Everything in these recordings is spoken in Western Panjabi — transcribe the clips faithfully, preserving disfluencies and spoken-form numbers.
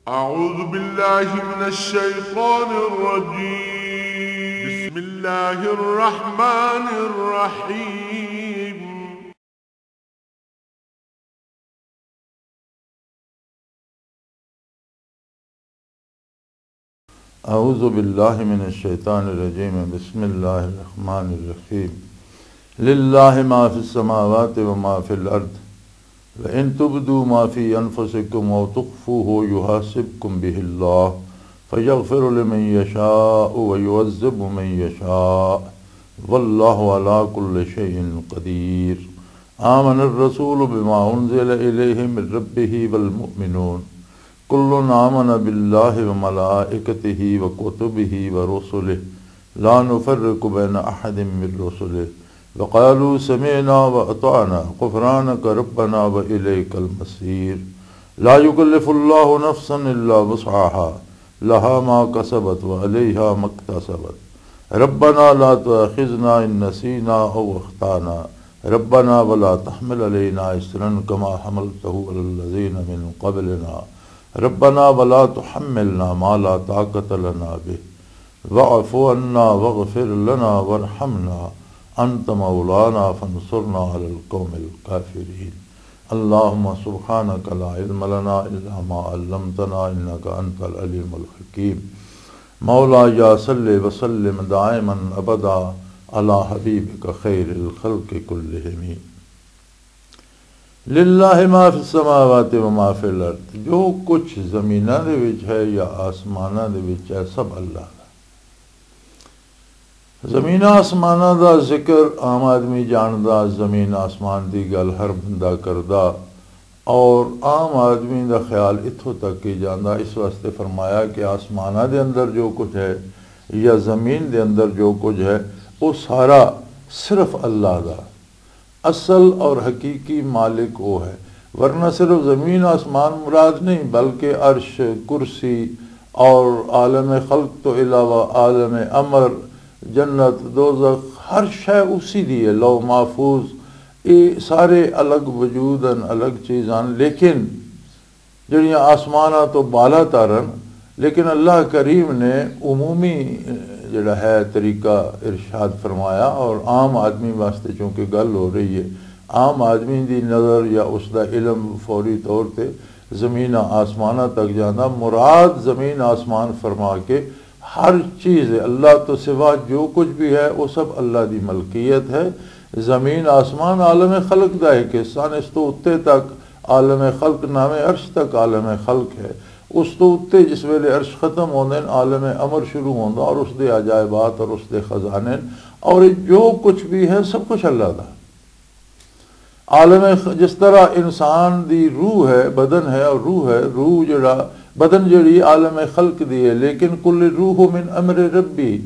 أعوذ بالله من الشيطان الرجيم. بسم الله الرحمن الرحيم. أعوذ بالله من الشيطان الرجيم. بسم الله الرحمن الرحيم. لله ما في السماوات وما في الأرض. وإن تبدوا ما في أنفسكم أو تخفوه يحاسبكم به الله فيغفر لمن يشاء ويعذب من يشاء والله على كل شيء قدير. آمن الرسول بما أنزل إليه من ربه والمؤمنون كل آمن بالله وملائكته وكتبه ورسله لا نفرق بين أحد من رسله وقالوا سمعنا وأطعنا غفرانك ربنا وإليك المصير. لا يكلف الله نفسا إلا وسعها لها ما كسبت وعليها ما اكتسبت. ربنا لا تؤاخذنا إن نسينا أو أخطأنا. ربنا ولا تحمل علينا إصرا كما حملته على الذين من قبلنا. ربنا ولا تحملنا ما لا طاقة لنا به. واعف عنا واغفر لنا وارحمنا أنت مولانا فانصرنا على القوم الكافرين. اللهم سبحانك لا علم لنا إلا ما علمتنا إنك أنت العليم الحكيم. مولاي صل وسلم دائما أبدا على حبيبك خير الخلق كلهم. للہ ما فی السماوات و ما فی الارض، جو کچھ زمیناں دے وچ ہے یا آسماناں دے وچ ہے، سب اللہ دا۔ زمین آسماناں دا ذکر عام آدمی جاندا، زمین آسمان دی گل ہر بندہ کردا، اور عام آدمی دا خیال اتھوں تک ہی جاندا۔ اس واسطے فرمایا کہ آسماناں دے اندر جو کچھ ہے یا زمین دے اندر جو کچھ ہے، وہ سارا صرف اللہ دا۔ اصل اور حقیقی مالک وہ ہے، ورنہ صرف زمین آسمان مراد نہیں، بلکہ عرش، کرسی اور عالم خلق تو علاوہ عالم امر، جنت، دوزخ، ہر شے اسی دی ہے۔ لوح محفوظ، یہ سارے الگ وجود ہیں، الگ چیز ہیں، لیکن جڑیاں آسماناں تو بالا تارن، لیکن اللہ کریم نے عمومی، اہ، جڑا ہے طریقہ ارشاد فرمایا، اور عام آدمی واسطے چونکہ گل ہو رہی ہے، عام آدمی دی نظر یا اس دا علم فوری طور تے زمین آسماناں تک جاندا۔ مراد زمین آسمان فرما کے ہر چیز ہے، اللہ تو سوا جو کچھ بھی ہے، وہ سب اللہ دی ملکیت ہے۔ زمین آسمان عالم خلق دا ایک حصہ نے، اس تو اتے تک عالم خلق، ناویں عرش تک عالم خلق ہے۔ اس تو اتے جس ویلے عرش ختم ہوندے نے، عالم امر شروع ہوندا اور اس دے عجائبات اور اس دے خزانے نے، اور یہ جو کچھ بھی ہے، سب کچھ اللہ دا۔ عالم خ-، جس طرح انسان دی روح ہے، بدن ہے اور روح ہے، روح جڑا، بدن جڑی عالم خلق دی ہے، لیکن کل روح من امر ربی،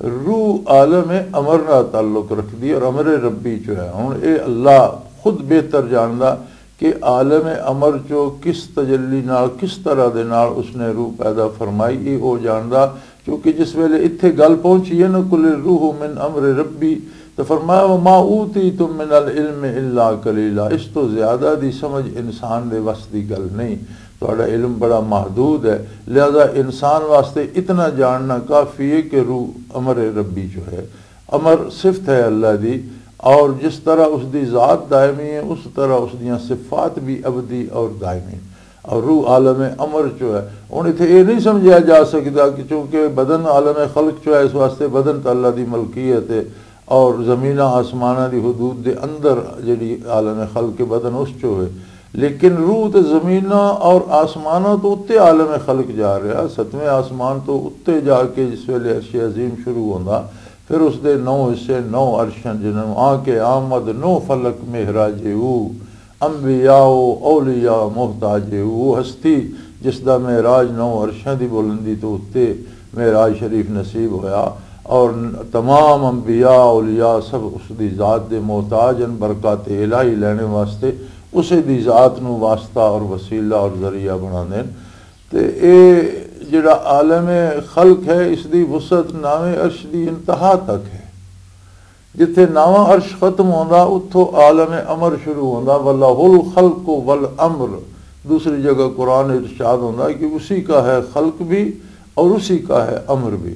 روح عالم امر نال تعلق رکھدی اور امر ربی چو ہے۔ ہن اے اللہ خود بہتر جاندا کہ عالم امر چو کس تجلی نال، کس طرح دے نال اس نے روح پیدا فرمائی، اے او جاندا۔ کیونکہ جس ویلے اتھے گل پہنچی ہے نا، "کل روح من امر ربی"، تو فرمایا، "وما اوتیتم من العلم الا قلیلا"، اس تو زیادہ دی سمجھ انسان دے وس دی گل نہیں۔ تہاڈا علم بڑا محدود ہے، لہذا انسان واسطے اتنا جاننا کافی ہے کہ روح امر ربی جو ہے، امر صفت ہے اللہ دی، اور جس طرح اس دی ذات دائمی ہے، اس طرح اس دیاں صفات بھی ابدی اور دائمی۔ اور روح عالم امر چو ہے۔ ہن اتھے یہ نہیں سمجھا جا سکدا کہ چونکہ بدن عالم خلق چو ہے، اس واسطے بدن تے اللہ دی ملکیت ہے، اور زمیناں آسماناں دی حدود دے اندر جڑی عالم خلق کے بدن اس چو ہے۔ لیکن روح تے زمیناں اور آسماناں تو اتے عالم خلق جا رہا، ستویں آسمان تو اتے جا کے جس ویلے عرش عظیم شروع ہوندا، پھر اس دے نو حصے، نو عرش ہیں، جنہاں آ کے آمد نو فلک معراج او، انبیاء و اولیاء محتاج او۔ وہ ہستی جس دا معراج نو عرشاں دی بلندی تو اتے معراج شریف نصیب ہویا، اور تمام انبیاء اولیاء سب اس دی ذات دے محتاج ہیں، برکات الہی لینے واسطے اسے دی ذات نو واسطہ اور وسیلہ اور ذریعہ بنا دین۔ تے اے جڑا عالم خلق ہے، اس دی وسعت ناویں عرش دی انتہا تک ہے۔ جتھے ناواں عرش ختم ہوندا، اتھوں عالم امر شروع ہوندا۔ "ولہ الخلق والامر"، دوسری جگہ قرآن ارشاد ہوندا ہے کہ اسی کا ہے خلق بھی اور اسی کا ہے امر بھی۔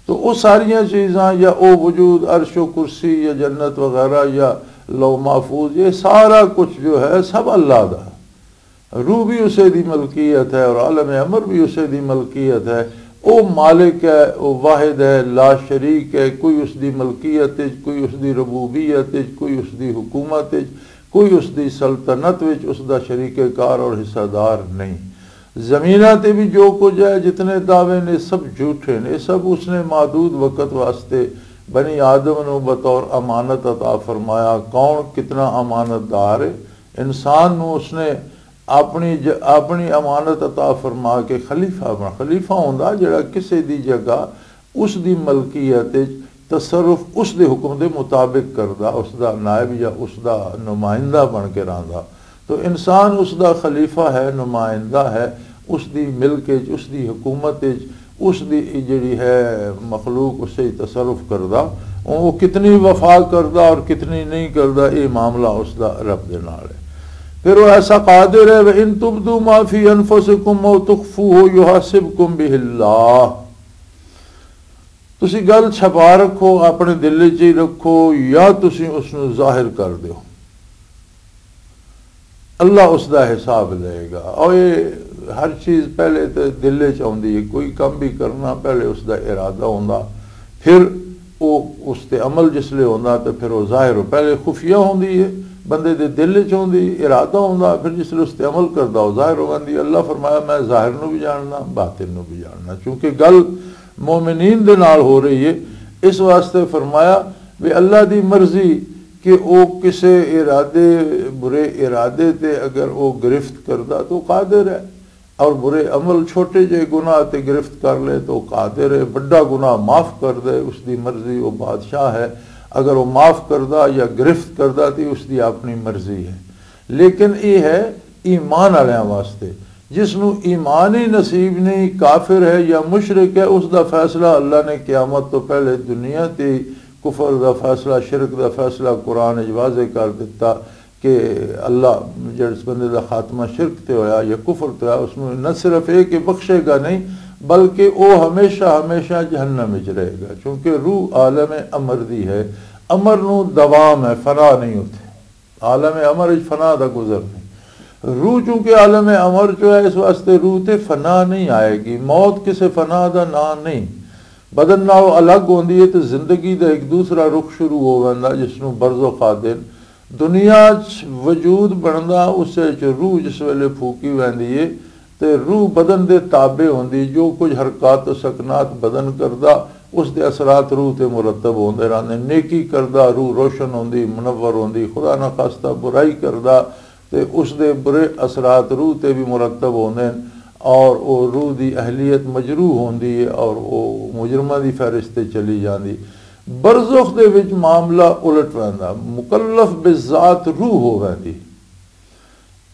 تو وہ ساریاں چیزاں یا وہ وجود، عرش و کرسی یا جنت وغیرہ یا لوح محفوظ، یہ سارا کچھ جو ہے سب اللہ دا ہے۔ روح بھی اسے دی ملکیت ہے اور عالم امر بھی اسے دی ملکیت ہے۔ وہ مالک ہے، وہ واحد ہے، لا شریک ہے، کوئی اس دی ملکیت وچ، کوئی اس دی ربوبیت وچ، کوئی اس دی حکومت وچ، کوئی اس دی سلطنت وچ اس دا شریک کار اور حصہ دار نہیں۔ زمیناں تے بھی جو کچھ ہے، جتنے دعوے نے، سب جھوٹے نے۔ سب اس نے محدود وقت واسطے بنی آدم نو بطور امانت عطا فرمایا۔ کون کتنا امانت دار ہے؟ انسان نو اس نے اپنی ج-، اپنی امانت عطا فرما کے خلیفہ بنا۔ خلیفہ ہوندا جڑا کسے دی جگہ اس دی ملکیت وچ تصرف اس دے حکم دے مطابق کردا، اس دا نائب یا اس دا نمائندہ بن کے رہندا۔ تو انسان اس دا خلیفہ ہے، نمائندہ ہے، اس دی ملک وچ، اس دی حکومت وچ، اس دی جڑی ہے مخلوق، اس سے تصرف کردا، وہ کتنی وفا کردا اور کتنی نہیں کردا، یہ معاملہ اس دا رب دے نال ہے۔ پھر وہ ایسا قادر ہے، وَإِن تُبْدُوا مَا فِي أَنفُسِكُمْ أَوْ تُخْفُوهُ يُحَاسِبْكُم بِهِ اللَّهُ۔ تسی گل چھپا رکھو، اپنے دل وچ ہی رکھو، یا تسی اس نو ظاہر کر دیو، اللہ اس دا حساب لے گا۔ اور یہ ہر چیز پہلے تے دل وچ آوندی ہے، کوئی کم بھی کرنا پہلے اس دا ارادہ ہوندا، پھر وہ اس تے عمل جس لے ہوندا تے پھر وہ ظاہر ہو۔ پہلے خفیہ ہوندی ہے، بندے دے دل وچ ہوندی، ارادہ ہوندا، پھر جس لے اس تے عمل کردا وہ ظاہر ہو جاندی ہے۔ اللہ فرمایا، میں ظاہر نو بھی جاننا، باطن نو بھی جاننا، چونکہ گل مومنین دے نال ہو رہی ہے۔ اس واسطے فرمایا بھی اللہ دی مرضی کہ او کسے ارادے، برے ارادے تے اگر او گرفت کردا تو قادر ہے، اور برے عمل، چھوٹے جے گناہ تے گرفت کر لے تو قادر ہے، بڑا گناہ معاف کر دے، اس دی مرضی، او بادشاہ ہے۔ اگر وہ معاف کردا یا گرفت کردا تے اس دی اپنی مرضی ہے۔ لیکن یہ ہے ایمان والیاں واسطے۔ جس نو ایمان ہی نصیب نہیں، کافر ہے یا مشرک ہے، اس دا فیصلہ اللہ نے قیامت تو پہلے دنیا تے ہی، کفر دا فیصلہ، شرک دا فیصلہ قرآن وچ واضح کر دتا کہ اللہ جس بندے دا خاتمہ شرک تے ہویا یا کفر تے ہویا، اس نو نہ صرف یہ کہ بخشے گا نہیں، بلکہ وہ ہمیشہ ہمیشہ جہنم وچ رہے گا، کیونکہ روح عالم امر دی ہے۔ امر نو دوام ہے، فنا نہیں ہوتے۔ عالم امر وچ فنا دا گزر نہیں۔ روح چونکہ عالم امر چ ہے، اس واسطے روح تے فنا نہیں آئے گی۔ موت کسے فنا دا نام نہیں۔ بدن نال الگ ہوندی ہے تے زندگی دا ایک دوسرا رخ شروع ہو ویندا، جس نوں برزخ آدھے نے۔ دنیا چ وجود بندا، اس وچ روح جس ویلے پھوکی ویندی ہے، تے روح بدن دے تابع ہوندی، جو کچھ حرکات و سکنات بدن کردا، اس دے اثرات روح تے مرتب ہوندے رہندے۔ نیکی کردا، روح روشن ہوندی، منور ہوندی، خدا نہ خواستہ برائی کردا، تے اس دے برے اثرات روح تے بھی مرتب ہوندے نے، اور او روح دی اہلیت مجروح ہوندی ہے اور او مجرماں دی فہرست تے چلی جاندی۔ برزخ دے وچ معاملہ الٹ ویندا، مکلف بذات روح ہو ویندی۔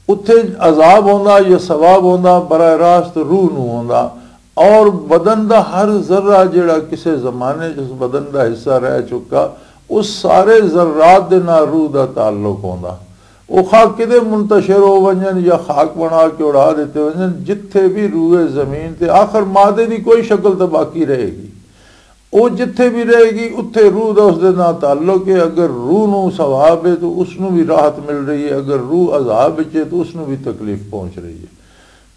اتھے عذاب ہوندا یا ثواب ہوندا، براہ راست روح نو ہوندا، اور بدن دا ہر ذرہ جڑا کسے زمانے چ اس بدن دا حصہ رہ چکا، اس سارے ذرات دے نال روح دا تعلق ہوندا۔ وہ خاک کدے منتشر ہو ونجن یا خاک بنا کے اڑا دیتے ونجن، جتھے بھی روئے زمین تے آخر مادے دی کوئی شکل تو باقی رہے گی۔ وہ جتھے بھی رہے گی، اتھے روح دا اس دے نال تعلق ہے۔ اگر روح نو ثواب ہے تو اس نو بھی راحت مل رہی ہے، اگر روح عذاب وچ ہے تو اس نو بھی تکلیف پہنچ رہی ہے۔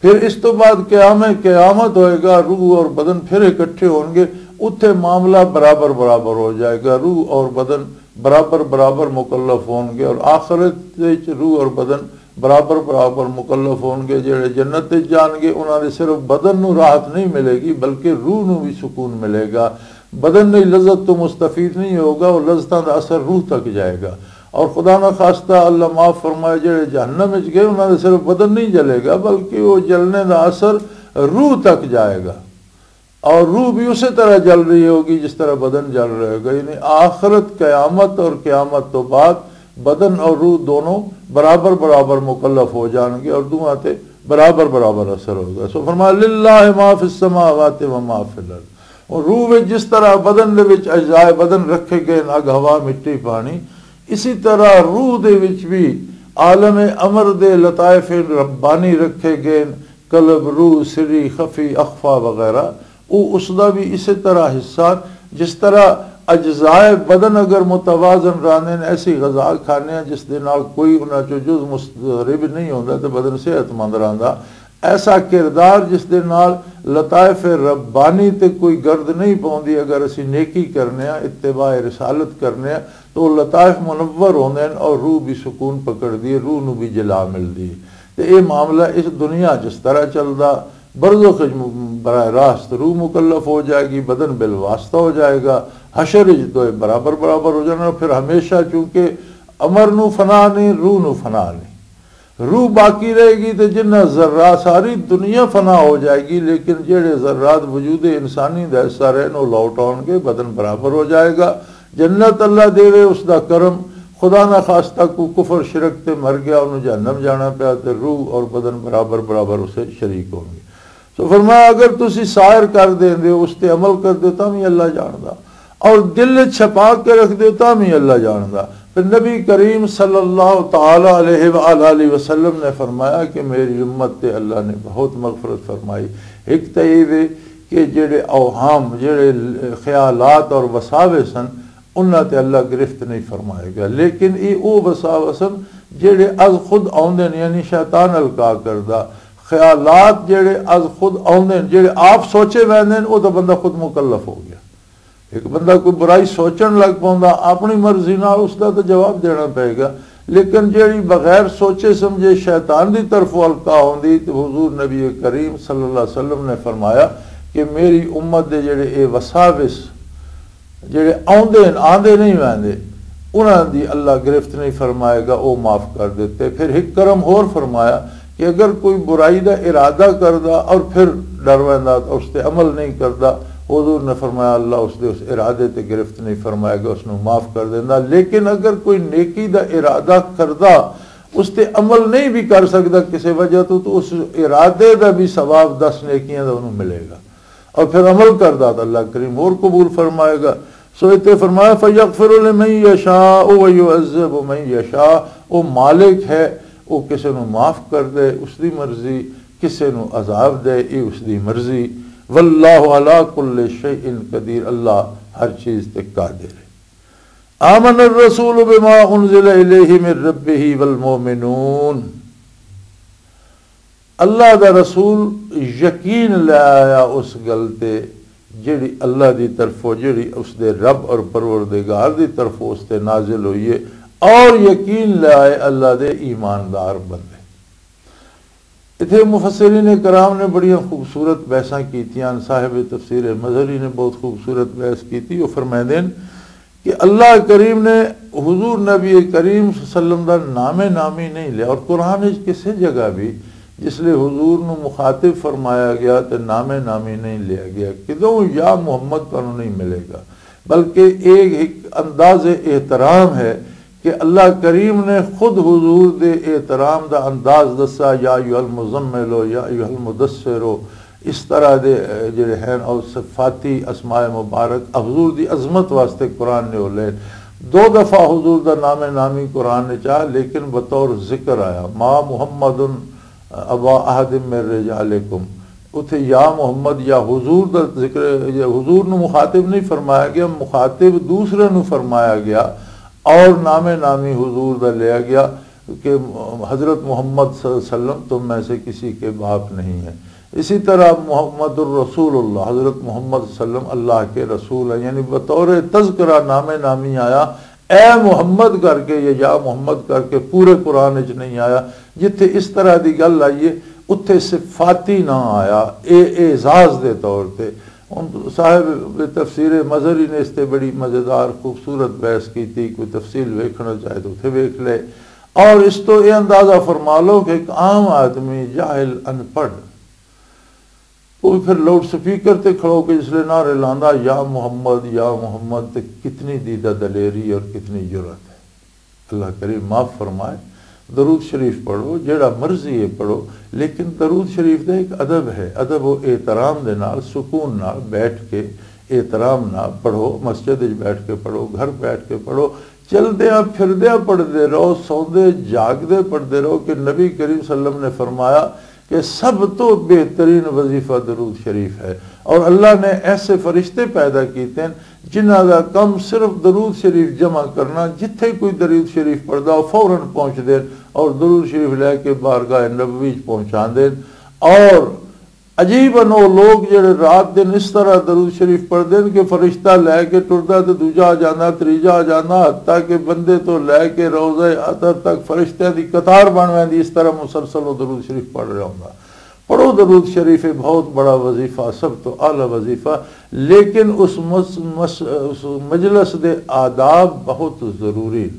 پھر اس تو بعد قیام قیامت ہوئے گا، روح اور بدن پھر اکٹھے ہون گے، اتھے معاملہ برابر برابر ہو جائے گا، روح اور بدن برابر برابر مکلف ہون گے، اور آخرت وچ روح اور بدن برابر برابر مکلف ہون گے۔ جڑے جنت وچ جان گے، انہاں دے صرف بدن نو راحت نہیں ملے گی، بلکہ روح نو بھی سکون ملے گا۔ بدن نئی لذت تو مستفید نہیں ہوگا، وہ لذتاں دا اثر روح تک جائے گا۔ اور خدا نہ خواستہ، اللہ معاف فرمائے، جڑے جہنم وچ گئے، انہاں دے صرف بدن نہیں جلے گا، بلکہ وہ جلنے دا اثر روح تک جائے گا۔ اور روح بھی اسی طرح جل رہی ہوگی جس طرح بدن جل رہے ہوگا۔ یعنی آخرت، قیامت اور قیامت تو بعد بدن اور روح دونوں برابر برابر مکلف ہو جان گے اور دونوں تے برابر برابر اثر ہوگا۔ سو فرمایا، للہ ما فی السماوات و ما فی الارض۔ اور روح وچ جس طرح بدن دے وچ اجزائے بدن رکھے گئے، اگ، ہوا، مٹی، پانی، اسی طرح روح دے وچ بھی عالم امر دے لطائف ربانی رکھے گئے، قلب، روح، سری، خفی، اخفا وغیرہ، وہ اس دا بھی اسی طرح حصہ۔ جس طرح اجزائے بدن اگر متوازن رہندے نے، ایسی غذا کھانے ہیں جس دے نال کوئی انہاں چوں جز مضطرب نہیں ہوندا تے بدن صحت مند رہندا۔ ایسا کردار جس دے نال لطائف ربانی تے کوئی گرد نہیں پوندی، اگر اسی نیکی کرنے ہاں، اتباع رسالت کرنے ہاں، تو وہ لطائف منور ہوندے ہیں اور روح بھی سکون پکڑدی ہے، روح نو بھی جلا ملدی ہے۔ تے اے معاملہ اس دنیا جس طرح چلدا، برزخ وچ براہ راست روح مکلف ہو جائے گی، بدن بالواسطہ ہو جائے گا، حشر وچ دوئے برابر برابر ہو جانا۔ پھر ہمیشہ، چونکہ امر نو فنا نہیں، روح نو فنا نہیں، روح باقی رہے گی، تے جنہ ذرہ، ساری دنیا فنا ہو جائے گی، لیکن جڑے ذرات وجود انسانی دا حصہ رہن، وہ لوٹ آؤن گے، بدن برابر ہو جائے گا۔ جنت اللہ دے وے، اس دا کرم۔ خدا نہ خواستہ کو کفر شرک تے مر گیا، انہوں جہنم جانا پیا، تے روح اور بدن برابر برابر اسے شریک ہوں گے۔ سو فرمایا، اگر تسی سائر کر دیں دے، اس تے عمل کر دے، تاں بھی اللہ جاندا، اور دل چھپا کے رکھ دے، تاں بھی اللہ جاندا۔ پھر نبی کریم صلی اللہ تعالی علیہ وآلہ وسلم نے فرمایا کہ میری امت تے اللہ نے بہت مغفرت فرمائی۔ ایک تے یہ وے کہ جڑے اوہام، جڑے خیالات اور وساوس ہن، انہاں تے اللہ گرفت نہیں فرمائے گا، لیکن یہ او وساوس ہن جڑے از خود آوندے نے، یعنی شیطان القا کردہ خیالات جڑے از خود آوندے نے، جڑے آپ سوچے ویندے نے، او تاں بندہ خود مکلف ہو گیا۔ ایک بندہ کوئی برائی سوچن لگ پوندا، اپنی مرضی نال، اس دا تے جواب دینا پئے گا۔ لیکن جیڑی بغیر سوچے سمجھے شیطان دی طرفوں القا ہوندی، تے حضور نبی کریم صلی اللہ علیہ وسلم نے فرمایا کہ میری امت دے جیڑے اے وساوس جیڑے آوندے ہن، آندے نہیں ویندے، انہاں دی اللہ گرفت نہیں فرمائے گا، او معاف کر دیتے۔ پھر ایک کرم ہور فرمایا کہ اگر کوئی برائی دا ارادہ کردا اور پھر ڈر ویندا، اس تے عمل نہیں کردا، حضور نے فرمایا، اللہ اس دے اس ارادے تے گرفت نہیں فرمائے گا، اس نو معاف کر دیندا۔ لیکن اگر کوئی نیکی دا ارادہ کردا، اس تے عمل نہیں بھی کر سکدا کسی وجہ تو، تو اس ارادے دا بھی ثواب دس نیکیاں دا انہوں ملے گا۔ اور پھر عمل کردا تو اللہ کریم ہور قبول فرمائے گا۔ سو اتنے فرمایا، فَيَغْفِرُ لِمَن يَشَاءُ وَيُعَذِّبُ مَن يَشَاءُ۔ او مالک ہے، او کسے نو معاف کر دے، اس دی مرضی، کسے نو عذاب دے، اے اس دی مرضی۔ وَاللَّهُ عَلَىٰ كُلِّ شَيْءٍ قَدِيرٌ، اللہ ہر چیز تے قادر ہے۔ آمن الرسول بما انزل الیہ من ربہ والمؤمنون۔ اللہ دا رسول یقین لے آیا اس گل تے جڑی اللہ دی طرفوں، جڑی اس دے رب اور پروردگار دی طرفوں اس تے نازل ہوئی ہے، اور یقین لے آئے اللہ دے ایماندار بندے۔ اتھے مفسرین کرام نے بڑیاں خوبصورت بحثاں کیتیاں۔ صاحب تفسیر مظہری نے بہت خوبصورت بحث کیتی۔ وہ فرمائندے ہیں کہ اللہ کریم نے حضور نبی کریم صلی اللہ علیہ وسلم دا نام نامی نہیں لیا، اور قرآن وچ کسے جگہ بھی جس لئے حضور نو مخاطب فرمایا گیا تے نام نامی نہیں لیا گیا۔ کدوں یا محمد تانوں نہیں ملے گا، بلکہ ایک، ایک انداز احترام ہے کہ اللہ کریم نے خود حضور دے احترام دا انداز دسا، یا ایھا المزمل، یا ایھا المدثر، اس طرح دے، اے، جڑے ہیں، اور صفاتی اسماء مبارک حضور دی عظمت واسطے قرآن نے ہو لے۔ دو دفعہ حضور دا نام نامی قرآن نے چاہ، لیکن بطور ذکر آیا، ما محمد ابا احد من رجالکم۔ اتھے یا محمد یا حضور دا ذکر، یا حضور نو مخاطب نہیں فرمایا گیا، مخاطب دوسرے نو فرمایا گیا، اور نام نامی حضور دا لیا گیا کہ حضرت محمد صلی اللہ علیہ وسلم تم میں سے کسی کے باپ نہیں ہے۔ اسی طرح محمد الرسول اللہ، حضرت محمد صلی اللہ علیہ وسلم اللہ کے رسول ہیں، یعنی بطور تذکرہ نام نامی آیا، اے محمد کر کے یا یا محمد کر کے پورے قرآن وچ نہیں آیا۔ جتھے اس طرح دی گل آئی ہے، اتھے صفاتی نہ آیا، اے اعزاز دے طور تے۔ ہن صاحب تفسیر مظہری نے اس تے بڑی مزیدار خوبصورت بحث کیتی، کوئی تفصیل ویکھنا چاہے تو اتھے ویکھ لے۔ اور اس تو یہ اندازہ فرما لو کہ ایک عام آدمی، جاہل، ان پڑھ، وہ بھی پھر لاؤڈ سپیکر تے کھڑو کے جس لئے نعرے لاندا، یا محمد، یا محمد، تے کتنی دیدہ دلیری اور کتنی جرأت ہے۔ اللہ کریم معاف فرمائے۔ درود شریف پڑھو، جیڑا مرضی ہے پڑھو، لیکن درود شریف دا ایک ادب ہے۔ ادب و احترام دے نال، سکون نال بیٹھ کے احترام نال پڑھو، مسجد وچ بیٹھ کے پڑھو، گھر بیٹھ کے پڑھو، چلدیاں پھردیاں پڑھدے رہو، سوندے جاگدے پڑھدے رہو، کہ نبی کریم صلی اللہ علیہ وسلم نے فرمایا کہ سب تو بہترین وظیفہ درود شریف ہے۔ اور اللہ نے ایسے فرشتے پیدا کیتے ہیں جنہاں دا کم صرف درود شریف جمع کرنا، جتھے کوئی درود شریف پڑھدا، وہ فوراً پہنچ دین اور درود شریف لے کے بارگاہ نبوی چ پہنچا دین۔ اور عجیب ان وہ لوگ جڑے رات دن اس طرح درود شریف پڑھتے ہیں کہ فرشتہ لے کے ٹردا تے دوجا آ جانا، تریجا آ جانا، حتیٰ کہ بندے تو لے کے روضہ اطہر تک فرشتیاں دی قطار بن ویندی۔ اس طرح مسلسل وہ درود شریف پڑھ رہا ہوندا۔ پڑھو درود شریف، یہ بہت بڑا وظیفہ، سب تو اعلیٰ وظیفہ۔ لیکن اس مس-، مس-، اس مجلس دے آداب بہت ضروری۔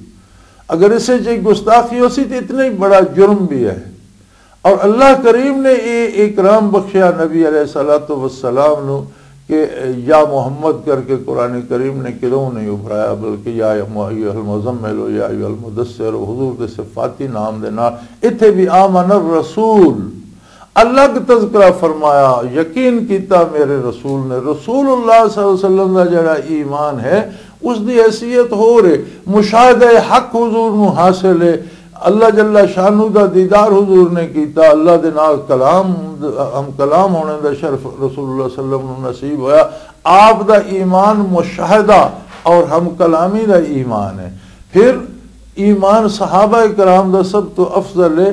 اگر اسے چ گستاخی ہو سی تو اتنا ہی بڑا جرم بھی ہے۔ اور اللہ کریم نے یہ اکرام بخشیا نبی علیہ الصلوۃ والسلام نو کہ یا محمد کر کے قرآن کریم نے کدوں نہیں ابھرایا، بلکہ یا ایھا المزمل ہو، یا ایھا المدثر ہو، حضور دے صفاتی نام دے نال۔ اتھے بھی آمن الرسول الگ تذکرہ فرمایا، یقین کیتا میرے رسول نے۔ رسول اللہ صلی اللہ علیہ وسلم دا جڑا ایمان ہے، اس دی حیثیت ہو رہے، مشاہدہ حق حضور نو حاصل ہے۔ اللہ جل شانہ دا دیدار حضور نے کیتا، اللہ دے نال کلام، ہم کلام ہونے دا شرف رسول اللہ صلی اللہ علیہ وسلم نو نصیب ہویا۔ آپ دا ایمان مشاہدہ اور ہم کلامی دا ایمان ہے۔ پھر ایمان صحابہ کرام دا سب تو افضل ہے،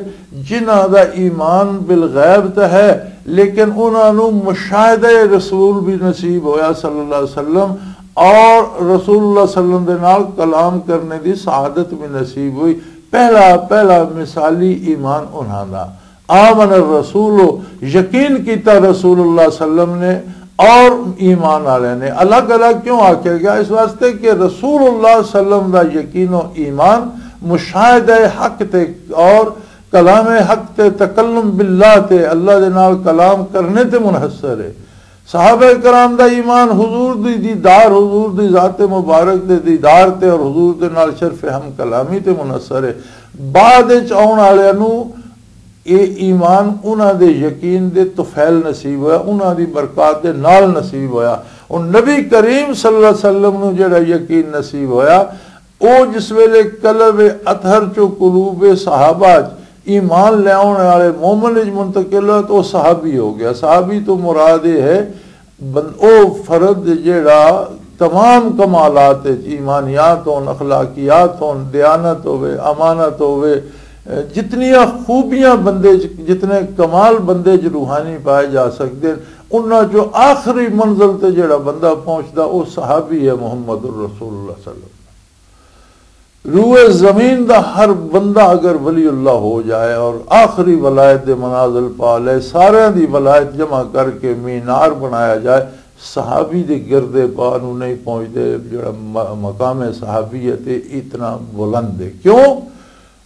جنہاں دا ایمان بالغیب تے ہے، لیکن انہاں نو مشاہدہ رسول بھی نصیب ہویا صلی اللہ علیہ وسلم، اور رسول اللہ صلی اللہ علیہ وسلم دے نال کلام کرنے دی سعادت بھی نصیب ہوئی۔ پہلا، پہلا مثالی ایمان انہاں دا۔ آمن الرسول، یقین کیتا رسول اللہ صلی اللہ علیہ وسلم نے اور ایمان والے نے۔ الگ الگ کیوں آکھیا گیا؟ اس واسطے کہ رسول اللہ صلی اللہ علیہ وسلم دا یقین و ایمان مشاہدہ حق تے اور کلام حق تے، تکلم باللہ تے، اللہ دے نال کلام کرنے تے منحصر ہے۔ صحابہ کرام دا ایمان حضور دی دیدار، حضور دی ذات مبارک دے دیدار تے اور حضور دے نال شرف ہم کلامی تے منحصر ہے۔ بعد وچ آؤن والے نو یہ ایمان انہاں دے یقین دے طفیل نصیب ہویا، انہاں دی برکات دے نال نصیب ہویا۔ اور نبی کریم صلی اللہ علیہ وسلم نو جڑا یقین نصیب ہویا، او جس ویلے قلب اطہر چو قلوب صحابہ چ ایمان لے آنے والے مومن وچ منتقل ہوا تو او صحابی ہو گیا۔ صحابی تو مراد یہ ہے بن-، او فرد جیڑا تمام کمالات وچ، ایمانیات ہون، اخلاقیات ہون، دیانت ہوے، امانت ہوے، جتنیاں خوبیاں بندے چ، جتنے کمال بندے چ روحانی پائے جا سکتے ہیں، انہاں چوں آخری منزل تے جیڑا بندہ پہنچدا، او صحابی ہے محمد الرسول اللہ صلی اللہ علیہ وسلم۔ روئے زمین دا ہر بندہ اگر ولی اللہ ہو جائے اور آخری ولایت دے منازل پا لے، سارے دی ولایت جمع کر کے مینار بنایا جائے، صحابی دے گردے پا نو نہیں پہنچدے، جڑا م-، مقام صحابیت ہے، اتنا بلند ہے۔ کیوں؟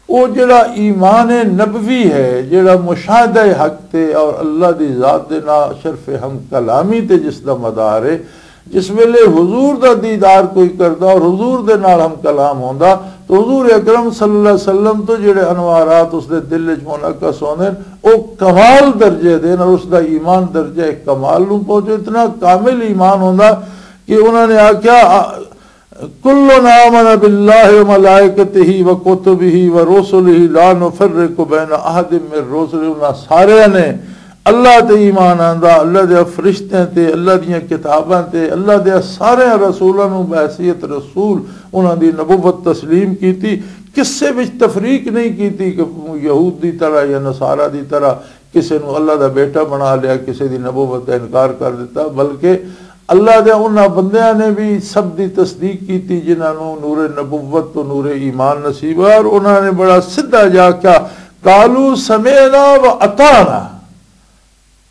او جڑا ایمان نبوی ہے، جڑا مشاہدہ حق تے اور اللہ دی ذات دے نال شرف ہم کلامی تے جس دا مدار ہے، جس ویلے حضور دا دیدار کوئی کردا اور حضور دے نال ہم کلام ہوندا، تو حضور اکرم صلی اللہ علیہ وسلم تو جڑے انوارات اس دے دل وچ منعکس ہوندے نے، او کمال درجے دے نے، اور اس دا ایمان درجہ کمال نوں پہنچے۔ اتنا کامل ایمان ہوندا کہ انہاں نے آکھیا، "کل آمن باللہ و ملائکتہ و کتبہ و رسلہ لا نفرق بین احد من رسلہ۔" انہاں سارے نے اللہ تے ایمان آندا، اللہ دے فرشتیاں تے، اللہ دیاں کتاباں تے، اللہ دے سارے رسولاں نوں بحیثیت رسول انہاں دی نبوت تسلیم کیتی۔ کسے وچ تفریق نہیں کیتی کہ یہود دی طرح یا نصارہ دی طرح کسے نوں اللہ دا بیٹا بنا لیا، کسے دی نبوت دا انکار کر دیتا، بلکہ اللہ دے انہاں بندیاں نے بھی سب دی تصدیق کیتی جنہاں نوں نور نبوت تو نور ایمان نصیب ہے، اور انہاں نے بڑا سدھا جا کیا، "قالوا سمعنا و اطعنا۔"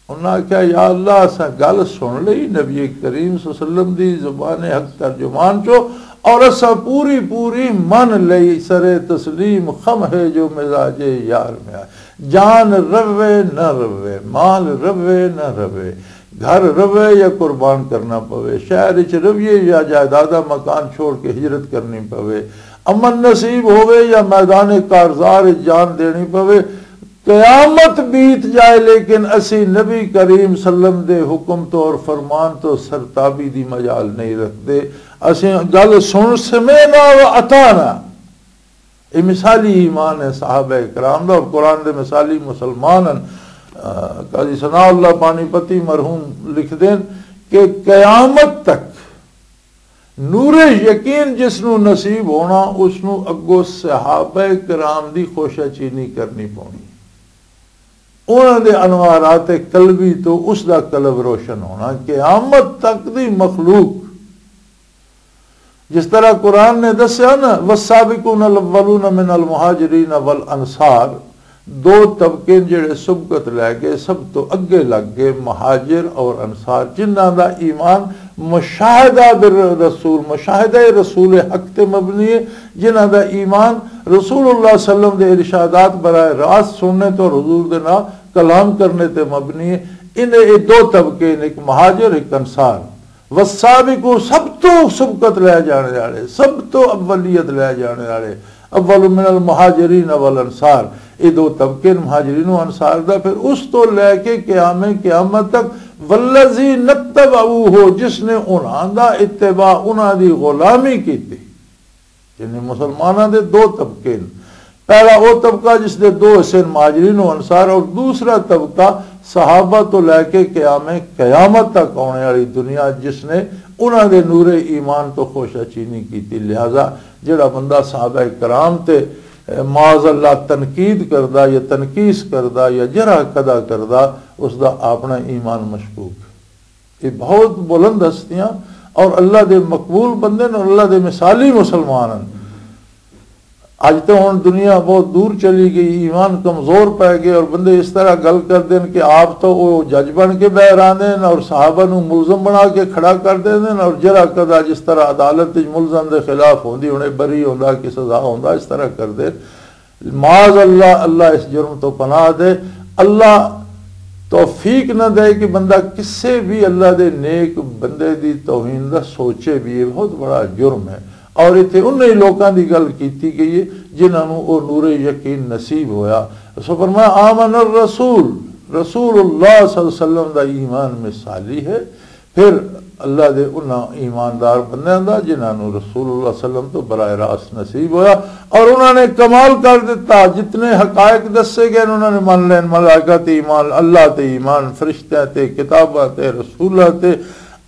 انہاں آکھیا، "یا اللہ، اساں گل سن لئی نبی کریم صلی اللہ علیہ وسلم دی زبان حق ترجمان چو، اور اساں پوری پوری من لئی، سر تسلیم خم ہے جو مزاج یار میں آئے۔" جان روے نہ روے، مال روے نہ روے، گھر روے یا قربان کرنا پوے، شہر وچ رویے یا جائیداداں مکان چھوڑ کے ہجرت کرنی پوے، امن نصیب ہوے یا میدان کارزار وچ جان دینی پوے، قیامت بیت جائے، لیکن اسی نبی کریم صلی اللہ علیہ وسلم دے حکم تو اور فرمان تو سرتابی دی مجال نہیں رکھتے۔ اسی گل سن سمینا و اطعنا۔ یہ مثالی ایمان ہے صحابہ کرام دا، اور قرآن دے مثالی مسلمان ہیں۔ آ، قاضی ثناء اللہ پانی پتی مرحوم لکھ دین کہ قیامت تک نور یقین جس نو نصیب ہونا، اس نو اگو صحابہ کرام دی خوشہ چینی کرنی پونی۔ انہاں دے انوارات قلبی تو اس دا قلب روشن ہونا۔ قیامت تک دی مخلوق، جس طرح قرآن نے دسیا نا، "والسابقون الاولون من المہاجرین والانصار"، دو طبقے جڑے سبقت لے گئے، سب تو اگے لگ گئے مہاجر اور انصار، جنہاں دا ایمان مشاہدہ بالرسول، مشاہدہ رسول حق تے مبنی ہے، جنہاں دا ایمان رسول اللہ صلی اللہ علیہ وسلم دے ارشادات براہ راست سننے تو حضور دے نال کلام کرنے تے مبنی ہے۔ انہیں یہ دو طبقے نے، ایک مہاجر، ایک انصار۔ والسابقون، سب تو سبقت لے جانے والے، سب تو اولیت لے جانے والے، اول من المہاجرین والانصار، یہ دو طبقے نے مہاجرین و انصار دا۔ پھر اس تو لے کے قیام قیامت تک، والذی نتبعوہ، جس نے انہاں دا اتباع، انہاں دی غلامی کیتی۔ یعنی مسلماناں دے دو طبقے نے۔ پہلا وہ طبقہ جس دے دو حصے نے، مہاجرین و انصار، اور دوسرا طبقہ صحابہ تو لے کے قیام قیامت تک آنے والی دنیا، جس نے انہاں دے نور ایمان تو خوشہ چینی کی تھی۔ لہذا جڑا بندہ صحابہ کرام تے، اے، معاذ اللہ تنقید کردا یا تنقیص کردا یا جرح کدا کردا، اس دا اپنا ایمان مشکوک۔ یہ بہت بلند ہستیاں اور اللہ دے مقبول بندے نے اور اللہ دے مثالی مسلمان ہیں۔ اج تو ہن دنیا بہت دور چلی گئی، ایمان کمزور پے گئے اور بندے اس طرح گل کردے نے کہ آپ تو وہ جج بن کے بہ رہندے نے اور صحابہ نو ملزم بنا کے کھڑا کر دیندے نے، اور جرا کدا جس طرح عدالت وچ ملزم دے خلاف ہوندی، ہن بری ہوندا کہ سزا ہوندا، اس طرح کردے۔ معاذ اللہ، اللہ اس جرم تو پناہ دے۔ اللہ توفیق نہ دے کہ بندہ کسے بھی اللہ دے نیک بندے دی توہین دا سوچے بھی، یہ بہت بڑا جرم ہے۔ اور اتھے انہی لوکاں دی گل کیتی گئی ہے جنہاں نوں او نور یقین نصیب ہویا۔ سو فرمایا، "آمن الرسول"، رسول اللہ صلی اللہ علیہ وسلم دا ایمان مثالی ہے۔ پھر اللہ دے انہاں ایماندار بندیاں دا جنہاں نوں رسول اللہ صلی اللہ علیہ وسلم تو براہ راست نصیب ہویا اور انہاں نے کمال کر دیتا۔ جتنے حقائق دسے گئے انہاں نے من لین، ملائکہ تے ایمان، اللہ تے ایمان، فرشتیاں تے، کتاباں تے، رسولاں تے،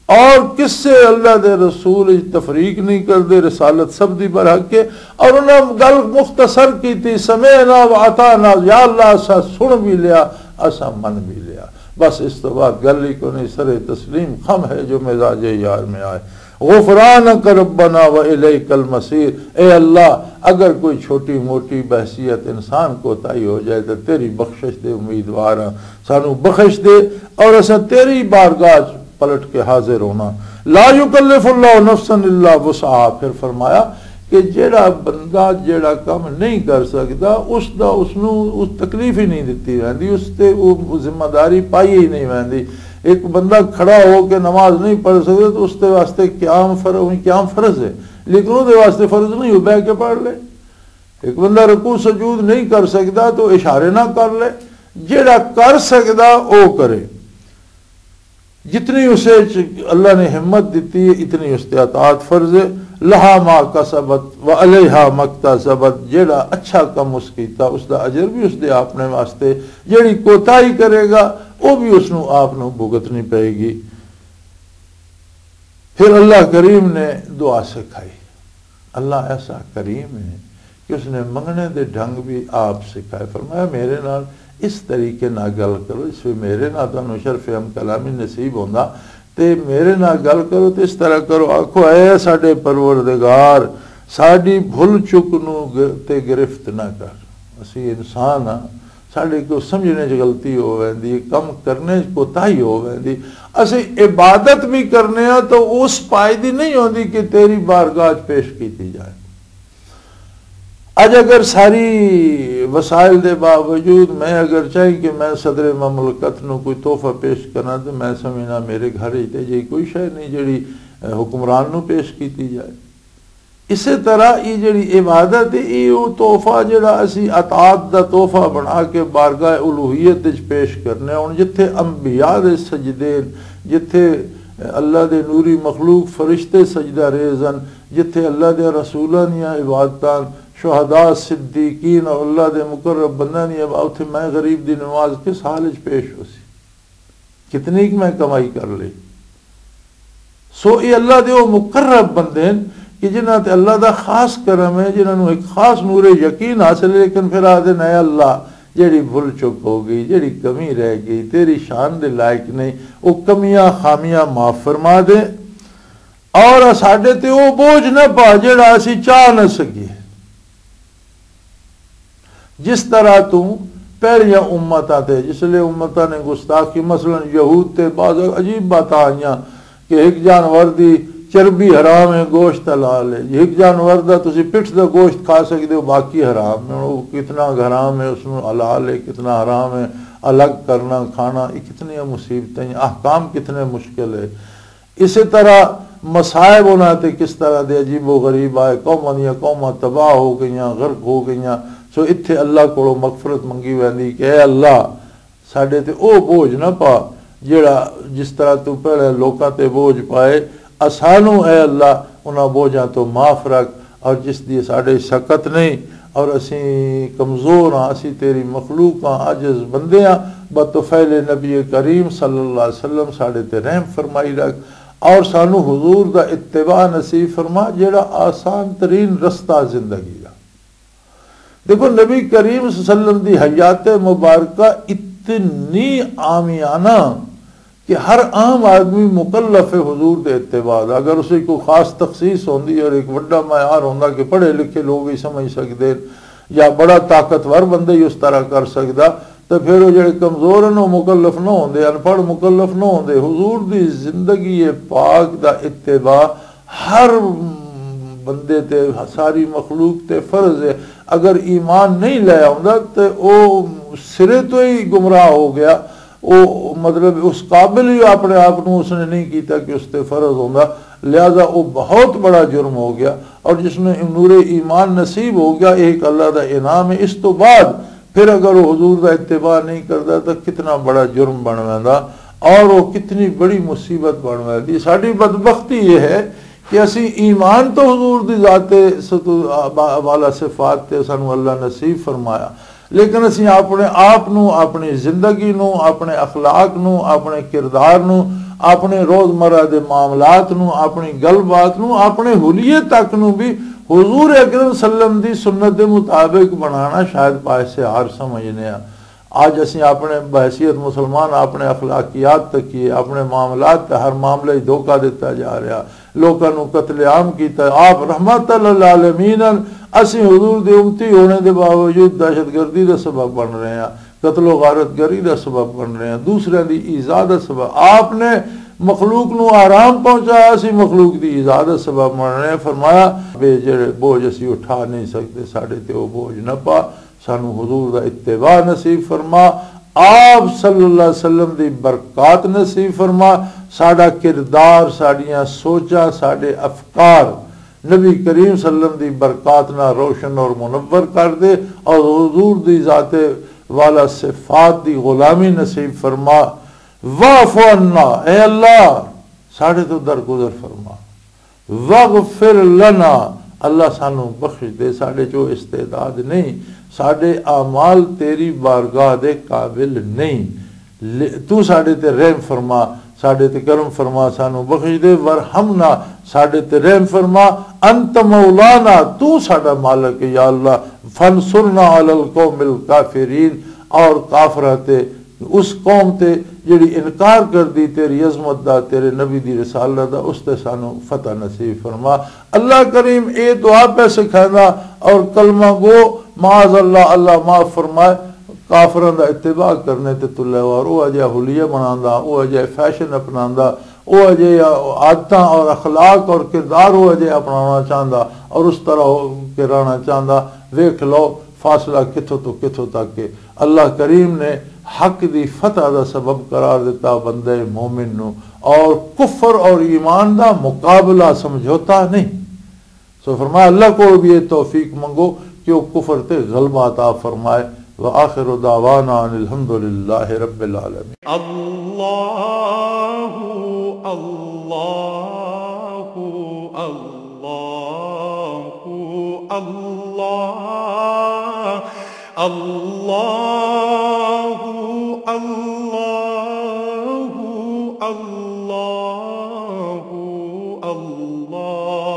اور کسے اللہ دے رسول وچ تفریق نہیں کردے، رسالت سب دی برحق ہے۔ اور انہاں گل مختصر کیتی، "سمعنا و اطعنا"، یا اللہ اسا سن بھی لیا، اسا من بھی لیا۔ بس اس تو بعد گل ہی کوئی نہیں، سر تسلیم خم ہے جو مزاج یار میں آئے۔ "غفرانک ربنا و الیک المصیر"، اے اللہ، اگر کوئی چھوٹی موٹی بحثیت انسان کوتاہی ہو جائے تو تیری بخشش دے امیدوار ہاں، سانو بخش دے اور اسا تیری بارگاہ پلٹ کے حاضر ہونا۔ "لا یکلف اللہ نفسا الا وسعہا"، پھر فرمایا کہ جیڑا بندہ جیڑا کم نہیں کر سکدا، اس دا، اس نو اس تکلیف ہی نہیں دتی ویندی، اس تے وہ ذمہ داری پائی ہی نہیں ویندی۔ ایک بندہ کھڑا ہو کے نماز نہیں پڑھ سکدا تو اس دے واسطے قیام فر-، قیام فرض ہے، لیکن وہ دے واسطے فرض نہیں، وہ بہ کے پڑھ لے۔ ایک بندہ رکوع سجود نہیں کر سکدا تو اشارے نہ کر لے، جیڑا کر سکدا او کرے۔ جتنی اسے چ-، اللہ نے ہمت دتی ہے، اتنی اس تے اطاعت فرض ہے۔ "لہا ما کسبت و علیہا مکتسبت"، جیڑا اچھا کم اس کیتا، اس دا اجر بھی اس دے اپنے واسطے، جیڑی کوتاہی کرے گا، وہ بھی اس نو آپ نو بھگتنی پائے گی۔ پھر اللہ کریم نے دعا سکھائی۔ اللہ ایسا کریم ہے کہ اس نے منگنے دے ڈھنگ بھی آپ سکھائے۔ فرمایا، "میرے نال اس طریقے نال گل کرو، اس وی میرے نال تانوں شرف ہم کلامی نصیب ہوندا، تے میرے نال گل کرو تے اس طرح کرو، آکھو، اے ساڈے پروردگار، ساڈی بھل چک نو گ-، تے گرفت نہ کر۔ اسی انسان ہاں، ساڈے کو سمجھنے چ غلطی ہو ویندی، کم کرنے چ کوتاہی ہو ویندی۔ اسی عبادت بھی کرنے ہاں تو اس پائے دی نہیں ہوندی کہ تیری بارگاہ چ پیش کیتی جائے۔" اج اگر ساری وسائل دے باوجود میں اگر چاہی کہ میں صدر مملکت نو کوئی تحفہ پیش کرنا تو میں سمجھنا میرے گھر ہی تے جی کوئی شے نہیں جڑی، اے، حکمران نو پیش کیتی جائے۔ اسی طرح یہ جڑی عبادت ہے، یہ وہ تحفہ جڑا اسی اطاعت دا تحفہ بنا کے بارگاہ الوہیت وچ پیش کرنے۔ ہن جتھے انبیاء دے سجدے، جتھے اللہ دے نوری مخلوق فرشتے سجدہ ریز ہن، جتھے اللہ دے رسولاں دیاں عبادتاں، شہداء، صدیقین اور اللہ دے مقرب بندیاں دی عبادت، اتھے میں غریب دی نماز کس حال وچ پیش ہو سی؟ کتنی کہ میں کمائی کر لی۔ سو یہ اللہ دے وہ مقرب بندے ہیں کہ جنہاں تے اللہ دا خاص کرم ہے، جنہاں نوں ایک خاص نور یقین حاصل ہے، لیکن پھر آدھے، "اے اللہ، جڑی بھول چک ہو گئی، جڑی کمی رہ گئی، تیری شان دے لائق نہیں، وہ کمیاں خامیاں معاف فرما دے، اور ساڈے تے وہ بوجھ نہ پا جڑا اسی چاہ نہ سکیے۔" جس طرح تو پہلیاں امتاں تے، جس لئے امتاں نے گستاخی، مثلاً یہود تے بعض عجیب باتاں آئیاں کہ ایک جانور دی چربی حرام ہے، گوشت حلال ہے۔ ایک جانور دا تسی پٹھ دا گوشت کھا سکدے ہو، باقی حرام ہے۔ وہ کتنا حرام ہے، اس میں حلال ہے، کتنا حرام ہے، الگ کرنا، کھانا، یہ کتنی مصیبتیں، احکام کتنے مشکل ہے۔ اسی طرح مصائب انہاں تے کس طرح دے عجیب و غریب آئے، قوماں دیاں قوماں تباہ ہو گئیاں، غرق ہو گئیاں۔ سو اتھے اللہ کولوں مغفرت منگی ویندی کہ اے اللہ، ساڈے تے او بوجھ نہ پا جڑا جس طرح تو پہلے لوکاں تے بوجھ پائے، اسانوں اے اللہ انہاں بوجھاں تو معاف رکھ، اور جس دی ساڈے شکت نہیں، اور اسیں کمزور ہاں، اسیں تیری مخلوق ہاں، عاجز بندے ہاں، بطفیل نبی کریم صلی اللہ علیہ وسلم ساڈے تے رحم فرمائی رکھ، اور سانو حضور دا اتباع نصیب فرما، جڑا آسان ترین رستہ زندگی دا۔ دیکھو، نبی کریم صلی اللہ علیہ وسلم دی حیات مبارکہ اتنی عامیانہ کہ ہر عام آدمی مکلف ہے حضور دے اتباع دا۔ اگر اسے کوئی خاص تخصیص ہوندی اور ایک وڈا معیار ہوندا کہ پڑھے لکھے لوگ ہی سمجھ سکدے یا بڑا طاقتور بندہ ہی اس طرح کر سکدا، تے پھر وہ جڑے کمزور ہیں، وہ مکلف نہ ہوندے، ان پڑھ مکلف نہ ہوندے۔ حضور دی زندگی پاک دا اتباع ہر بندے تے، ساری مخلوق تے فرض ہے۔ اگر ایمان نہیں لے آوندا تے او سرے تو ہی گمراہ ہو گیا۔ او مطلب اس قابل ہی اپنے آپ نو اس نے نہیں کیتا کہ اس تے فرض ہوندا، لہذا او بہت بڑا جرم ہو گیا۔ اور جس نے نور ایمان نصیب ہو گیا، یہ ایک اللہ دا انعام ہے۔ اس تو بعد پھر اگر وہ حضور دا اتباع نہیں کردا تو کتنا بڑا جرم بن ویندا اور وہ کتنی بڑی مصیبت بن ویندی۔ ساڈی بدبختی یہ ہے کہ اسی ایمان تو حضور دی ذات ستو-، با-، والا صفات تے سانو اللہ نصیب فرمایا، لیکن اسی اپنے آپ نو، اپنی زندگی نو، اپنے اخلاق نو، اپنے کردار نو، اپنے روزمرہ دے معاملات نو، اپنی گل بات نو، اپنے حلیے تک نو بھی حضور اکرم صلی اللہ علیہ وسلم دی سنت دے مطابق بنانا شاید باعث عار سمجھنے ہاں۔ اج اسی اپنے بحیثیت مسلمان اپنے اخلاقیات تکیے، اپنے معاملات تے ہر معاملے ہی دھوکا دیتا جا رہا، لوکاں نو قتل عام کیتا۔ آپ رحمت للعالمین ہن، اسی حضور دے امتی ہونے دے باوجود دہشت گردی دا سبب بن رہے ہیں، قتل و غارت گری دا سبب بن رہے ہیں، دوسرے دی ایذا دا سبب۔ آپ نے مخلوق نو آرام پہنچایا، اسی مخلوق دی ایذا دا سبب بن رہے ہیں۔ فرمایا، بے جڑے بوجھ اسی اٹھا نہیں سکتے، ساڈے تے وہ بوجھ نہ پا، سانو حضور دا اتباع نصیب فرما، آپ صلی اللہ علیہ وسلم دی برکات نصیب فرما، ساڈا کردار، ساڈیاں سوچاں، ساڈے افکار نبی کریم صلی اللہ علیہ وسلم دی برکات نال روشن اور منور کر دے، اور حضور دی ذات والا صفات دی غلامی نصیب فرما۔ واعف عنا، اے اللہ، ساڈے تو درگزر فرما۔ واغفر لنا، اللہ سانو بخش دے، ساڈے چو استعداد نہیں، ساڈے اعمال تیری بارگاہ دے قابل نہیں۔ لے-، تو ساڈے تے رحم فرما، ساڈے تے کرم فرما، سانو بخش دے۔ ورحمنا، ساڈے تے رحم فرما۔ انت مولانا، تو ساڈا مالک ہے، یا اللہ۔ فانصرنا علی القوم الکافرین، اور کافراں تے، اس قوم تے جڑی انکار کر دی تیری عظمت دا، تیرے نبی دی رسالت دا، اس تے سانو فتح نصیب فرما۔ اللہ کریم اے دعا پہ سکھائندا، اور کلمہ گو، معاذ اللہ، اللہ معاف فرمائے، کافراں دا اتباع کرنے تے تلے وار، او اجے حلیہ بناندا، او اجے فیشن اپناندا، او اجے عادتاں اور اخلاق اور کردار او اجے اپنانا چاہندا اور اس طرح ہو کے رہنا چاہندا۔ ویکھ لو، فاصلہ کتھوں تو کتھوں تک ہے۔ اللہ کریم نے حق دی فتح دا سبب قرار دیتا بندے مومن نو، اور کفر اور ایمان دا مقابلہ، سمجھوتا نہیں۔ سو فرمایا، اللہ کو بھی یہ توفیق منگو کہ وہ کفر تے غلبہ عطا فرمائے۔ وآخر دعوانا ان الحمد للہ رب العالمین۔ اللہ، اللہ، اللہ، اللہ، اللہ، اللہ، اللہ، اللہ۔